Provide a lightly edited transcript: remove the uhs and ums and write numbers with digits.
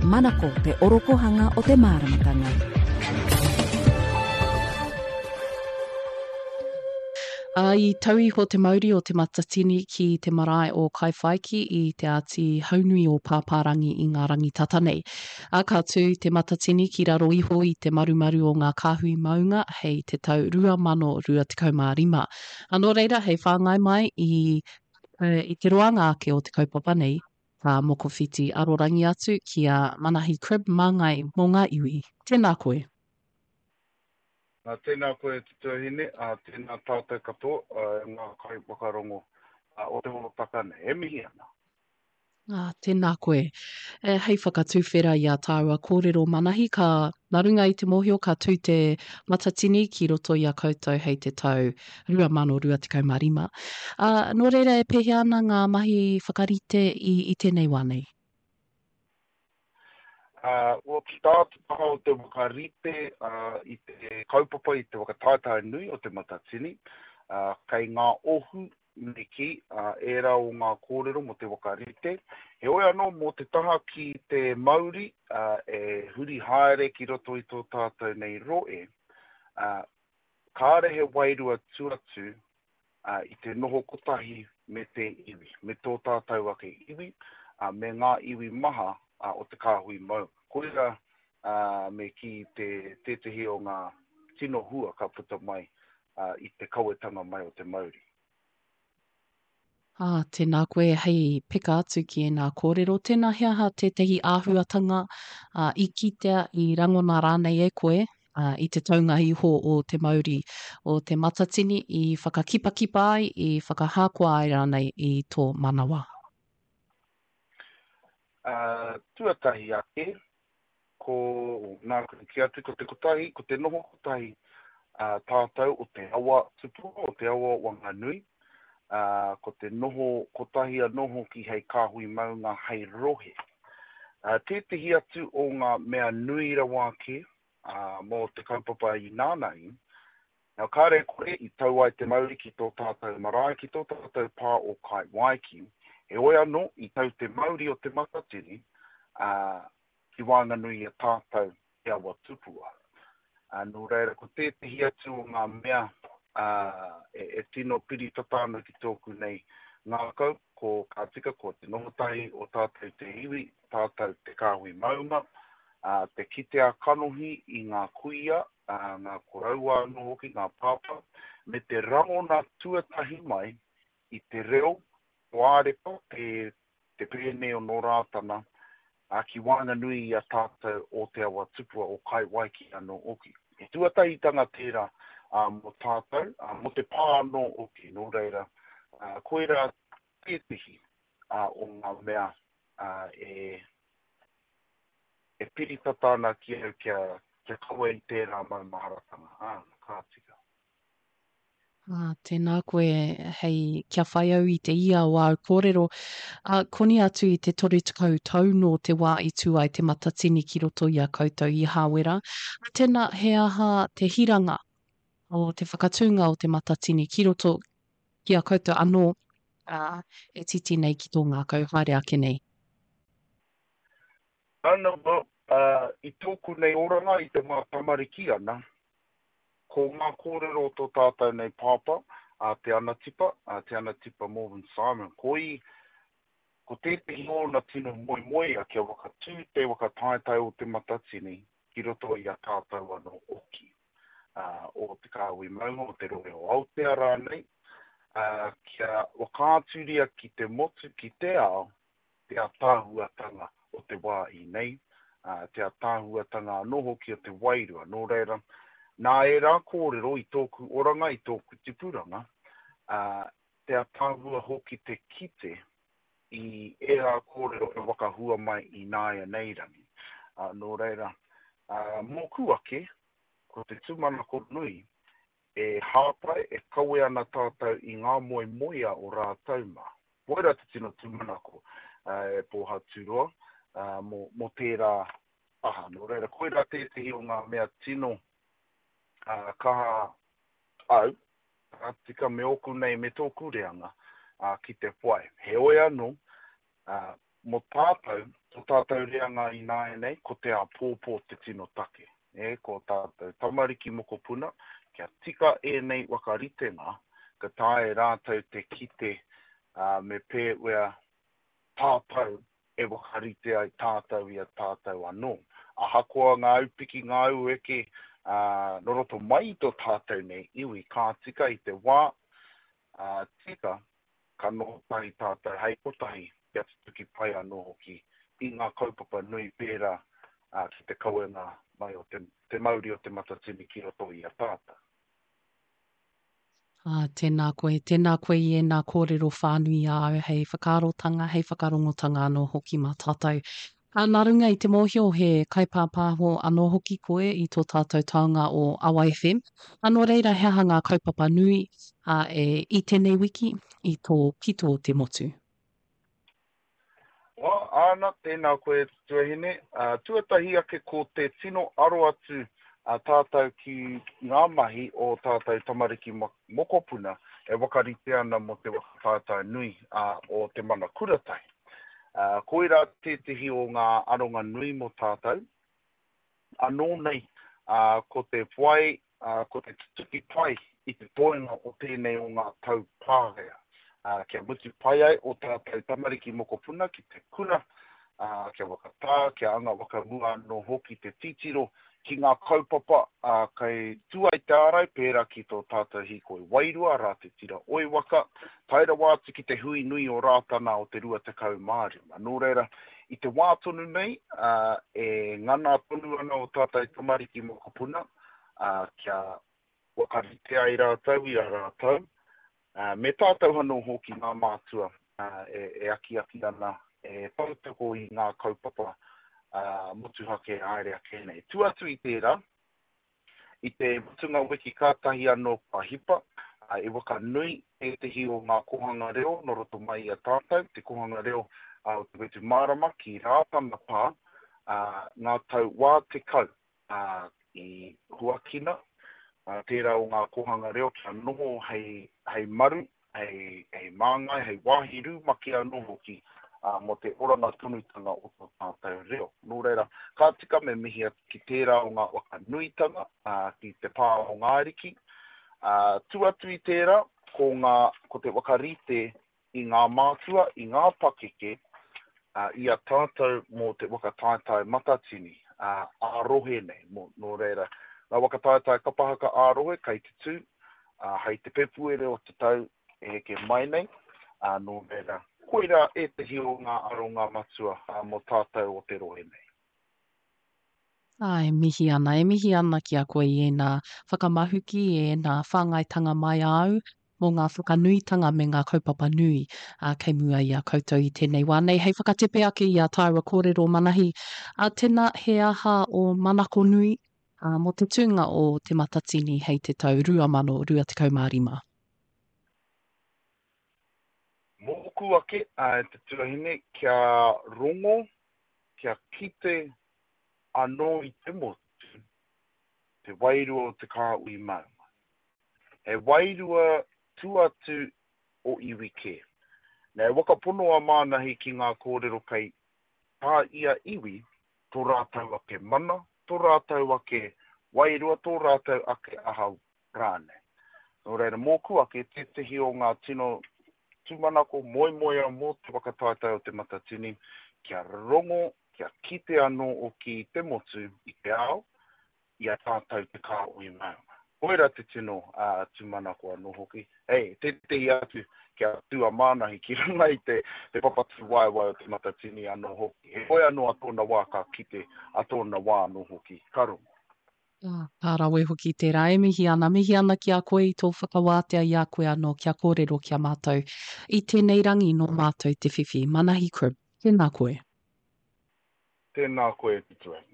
Manako te orokohanga o te māramatanga. Ā, i tau iho te mauri o Te Matatini ki te marae o Kaiwhaiki i Te Āti Haunui o Pāpārangi i ngā rangi tata nei. Ā, ka tū Te Matatini ki raro iho i te marumaru o ngā kāhui maunga hei te tau 2025. Ā, nō reira, hei whāngai mai i, i te roanga ake o te kaupapa nei, ka mokowhiti arorangi atu ki a Manahi Cribb Māngai mō ngā iwi. Tēnā koe. Nā, tēnā koe e te tuahine, ā, tēnā tātou katoa, ngā kaiwhakarongo o te hōtaka nei. E mihi ana. Ā, tēnā koe. E, hei whakatuwhera i ā tāua kōrero Manahi, ka, nā runga i te mōhio ka tū te Matatini ki roto i a koutou hei te tau 2025. Ā, nō reira e pēhea ana ngā mahi whakarite i, i tēnei wā nei? Ā, ki tā te taha o te whakarite i te kaupapa i te whakataetae nui o Te Matatini, ā, kei ngā ohu me kī, ā, ērā o ngā kōrero mō te whakarite. Heoi anō, mō te taha ki te mauri, ā, e huri haere ki roto i tō tātou nei rohe, ā, kāre he wairua tuatu ā, i te noho kotahi me te iwi, me tō tātou ake iwi, ā, me ngā iwi maha ā, o te kāhui maunga. Koirā, ā, me kī te, tētehi o ngā tino hua ka puta mai, ā, i te kawetanga mai o te mauri. Ā, tēnā koe hei peka atu ki ēnā kōrero. Tēnā he aha tētehi āhuatanga, ā, i kitea, i rangona rānei e koe, ā, i te taunga iho o te mauri o Te Matatini i whakakipakipa ai, i whakahākoa ai rānei i tō manawa? Ā, tuatahi ake, ko, nāku i kī atu, ko te kotahi, ko te noho kotahi ā, tātou o te awa tupua, o te awa o Wanganui, ā, ko te noho kotahi anō hoki hei kāhui maunga, hei rohe. Ā, tētehi atu o ngā mea nui rawa ake, ā, mō te kaupapa inānahi, now kāre e kore i tau ai te mauri ki tō tātou marae, ki tō tātou pā o Kaiwaiki, heoi anō i tau te mauri o Te Matatini, ā, ki waenganui i a tātou te awa tupua. Ā, nō reira, ko tētehi atu o ngā mea, ā, e, e tino piri tata ana ki tōku nei ngākau, ko, ka tika, ko te noho tahi o tātou te iwi, tātou te kāhui maunga, ā, te kite ā-kanohi i ngā kuia, ā, ngā koroua anō hoki, ngā pāpā, me te rangona tuatahi mai i te reo o Ārepa, te, te pēne o Nō Rātana, ā, ki waenganui i a tātou o Te Awa Tupua, o Kaiwaiki anō hoki. He tuatahitanga tērā, ā, mō tātou, ā, mō te pā anō hoki, nō reira, ā, koirā tētehi, ā, o ngā mea, ā, e, e piri tata ana ki au kia, kia kawe i tērā maumaharatanga. Ā, ka tika. Ā, tēnā koe hei kia whai au i te ia o āu kōrero. Ā, koni atu i te 30 tau nō te wā i tū ai Te Matatini ki roto i a koutou i Hāwera. Ā, tēnā, he aha te hiranga o te whakatūnga o Te Matatini ki roto ki a koutou anō, ā, e titi nei ki tō ngākau haere ake nei? Ana, well, ā, i tōku nei oranga i te wā tamariki ana, Ko ngā kōrero o tō tātou nei pāpā, a Te Anatipa, a Te Anatipa Morvin Simon, ko i, ko tētehi ōna tino moemoea kia whakatū te waka taetae o Te Matatini ki roto i a tātou anō oki, ā, o Te Kāhui Maunga, o Te Rohe o Aotea rānei, ā, kia whakaaturia ki te motu, ki te ao, te ataahuatanga o te wā i nei, ā, te ataahuatanga anō hoki o te wairua. Nō reira, nā ērā kōrero i tōku oranga, i tōku tipuranga, ā, te ataahua hoki te kite i ērā kōrero e whakahua mai ināianei rangi. Ā, nō reira, ā, mōku ake, ko te tūmanako nui, E hāpai, e kawe ana tātou i ngā moemoeā o rātou mā. Koirā te tino tūmanako e Pōhaturoa mō tērā taha. Nō reira, koirā tētehi o ngā mea tino kaha au, ka tika me ōku nei, me tōku reanga ki te whai. Heoi anō, mō tātou, Tō tātou reanga ināianei, ko te āpōpō te tino take. E, ko tātou tamariki mokopuna, kia tika ēnei whakaritenga, ka taea e rātou te kite, ā, me pēwea tātou e whakarite ai tātou i a tātou anō. Ahakoa ngā aupiki, ngā aueke, ā, nō roto mai i tō tātou nei iwi, ka tika i te wā, ā, tika, ka noho tahi tātou hei kotahi kia tutuki pai anō hoki i ngā kaupapa nui pērā ki te kawenga mai o te, te mauri o Te Matatini ki roto i a tātou. Ā, tēnā koe, tēnā koe i ēnā kōrero whānui āu hei whakaarotanga, hei whakarongotanga anō hoki mā tātou. Ā, nā runga i te mōhio he kaipāpāho anō hoki koe i tō tātou taonga o Awa FM, ā, nō reira he aha ngā kaupapa nui, ā, e, i tēnei wiki, i tō pito o te motu? Wā, āna, tēnā koe e te tuahine. Ā, tuatahi ake ko te tino aro atu a tātou ki ngā mahi o tātou tamariki mokopuna e whakarite ana mō te waka taetae nui, ā, o Te Mana Kuratahi. Koirā tētehi o ngā aronga nui mō tātou. Anō nei, ko te whai, ko te tutuki pai i te toenga o tēnei o ngā tau pārea. Kia mutu pai ai ō tātou tamariki mokopuna ki te kura, kia whakatā, kia anga whakamua anō hoki te titiro ki ngā kaupapa kei tua i te ārai, pērā ki tō tātou hīkoi wairua, rā te tira oiwaka, tae rawa atu ki te hui nui o Rātana o te 25. Nō reira, i te wā tonu nei, e ngana tonu ana ō tātou tamariki mokopuna kia whakarite ai rātou i a rātou, me tātou anō hoki ngā mātua e akiaki ana, e tautoko i ngā kaupapa motuhake haere ake nei. Tua atu i tērā, i te mutunga wiki kātahi anō kua hipa, i whakanui tētehi o ngā kōhanga reo nō roto mai i a tātou, te kōhanga reo o Te Whetūmārama ki Rātana Pā, ngā tau wā 10 ā, i huakina tērā o ngā kōhanga reo kia noho hei, hei maru, hei, hei māngai, hei wāhi rumaki anō hoki mō te oranga tonutanga o tō tātou reo. Nō reira, ka tika me mihi atu ki tērā o ngā waka nuitanga, ki te pā o Ngāriki. Tua atu i tērā, ko ngā, ko te whakarite i ngā mātua, i ngā pakeke, i a tātou mō te waka taetae matatini ā-rohe nei. Mō, nō reira, ngā waka taetae kapa haka ā-rohe kei te tū hei te Pepuere o te tau e heke mai nei, nō reira, koirā ētehi o ngā aronga matua mō tātou o te rohe nei. Ā, e mihi ana, e mihi ana ki a koe i ēnā whakamahuki, i ēnā whāngaitanga mai āu mō ngā whakanuitanga me ngā kaupapa nui, ā, kei mua i a koutou i tēnei wā nei. Hei whakatepe ake i ā tāua kōrero Manahi, ā, tēnā, he aha ō manako nui, ā, mō te tūnga o Te Matatini hei te tau 2025? Mōku ake, ā, te tuahine, kia rongo, kia kite anō i te motu, te wairua o te kāhui maunga. He wairua tua atu o iwi kē. Nei whakapono a Mānahi ki ngā kōrero kei tā ia iwi tō rātou ake mana, tō rātou ake wairua, tō rātou ake aha rānei. Nō reira, mōku ake, tētehi o ngā tino tūmanako, moemoeā mō te whakataetae o Te Matatini, kia rongo, kia kite anō hoki i te motu, i te ao, i a tātou te kāhui maunga. Koirā te tino tūmanako anō hoki. Hei, tētehi atu, kia tū a Mānahi ki runga i te, te papa tūwaewae o Te Matatini anō hoki. Heoi anō a tōna wā ka kite, a tōna wā anō hoki ka rongo. Ka rawe hoki tērā. E mihi ana, mihi ana ki a koe i tō whakawātea i a koe anō kia kōrero ki a mātou. I tēnei rangi nō mātou te whiwhi. Manahi Cribb, tēnā koe. Tēnā koe e te tuahine.